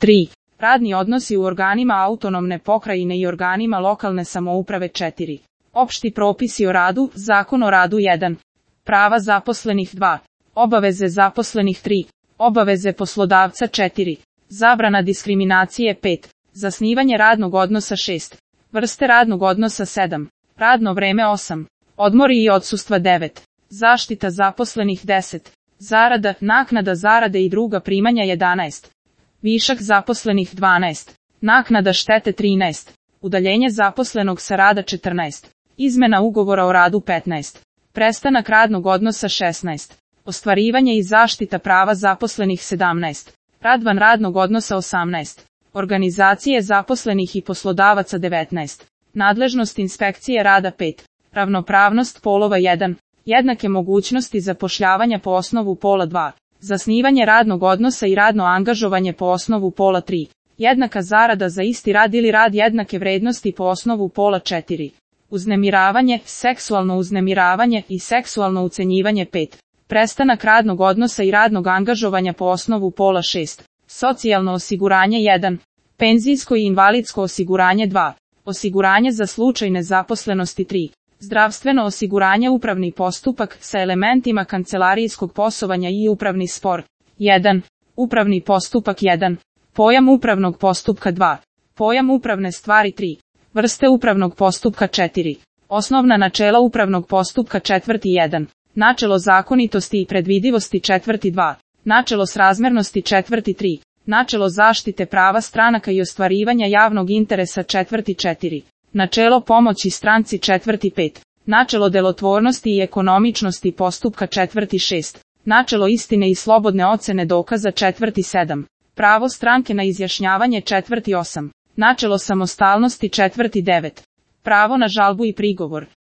3. Radni odnosi u organima autonomne pokrajine i organima lokalne samouprave 4. Opšti propisi o radu, Zakon o radu 1. Prava zaposlenih 2. Obaveze zaposlenih 3. Obaveze poslodavca 4. Zabrana diskriminacije 5. Zasnivanje radnog odnosa 6. Vrste radnog odnosa 7. Radno vreme 8. Odmori i odsustva 9. Zaštita zaposlenih 10. Zarada, naknada zarade i druga primanja 11. Višak zaposlenih 12. Naknada štete 13. Udaljenje zaposlenog sa rada 14. Izmena ugovora o radu 15. Prestanak radnog odnosa 16. Ostvarivanje i zaštita prava zaposlenih 17. Rad van radnog odnosa 18. Organizacije zaposlenih i poslodavaca 19. Nadležnost inspekcije rada 5. Ravnopravnost polova 1. Jednake mogućnosti zapošljavanja po osnovu pola 2. Zasnivanje radnog odnosa i radno angažovanje po osnovu pola 3. Jednaka zarada za isti rad ili rad jednake vrednosti po osnovu pola 4. Uznemiravanje, seksualno uznemiravanje i seksualno ucenjivanje 5. Prestanak radnog odnosa i radnog angažovanja po osnovu pola 6. Socijalno osiguranje 1. Penzijsko i invalidsko osiguranje 2. Osiguranje za slučaj nezaposlenosti 3. Zdravstveno osiguranje upravni postupak sa elementima kancelarijskog poslovanja i upravni spor. 1. Upravni postupak 1. Pojam upravnog postupka 2. Pojam upravne stvari 3. Vrste upravnog postupka 4. Osnovna načela upravnog postupka 1. Načelo zakonitosti i predvidivosti 2. Načelo srazmernosti 3. Načelo zaštite prava stranaka i ostvarivanja javnog interesa 4. Načelo pomoći stranci 5. Načelo delotvornosti i ekonomičnosti postupka 6. Načelo istine i slobodne ocene dokaza 7. Pravo stranke na izjašnjavanje 8. Načelo samostalnosti 9. Pravo na žalbu i prigovor.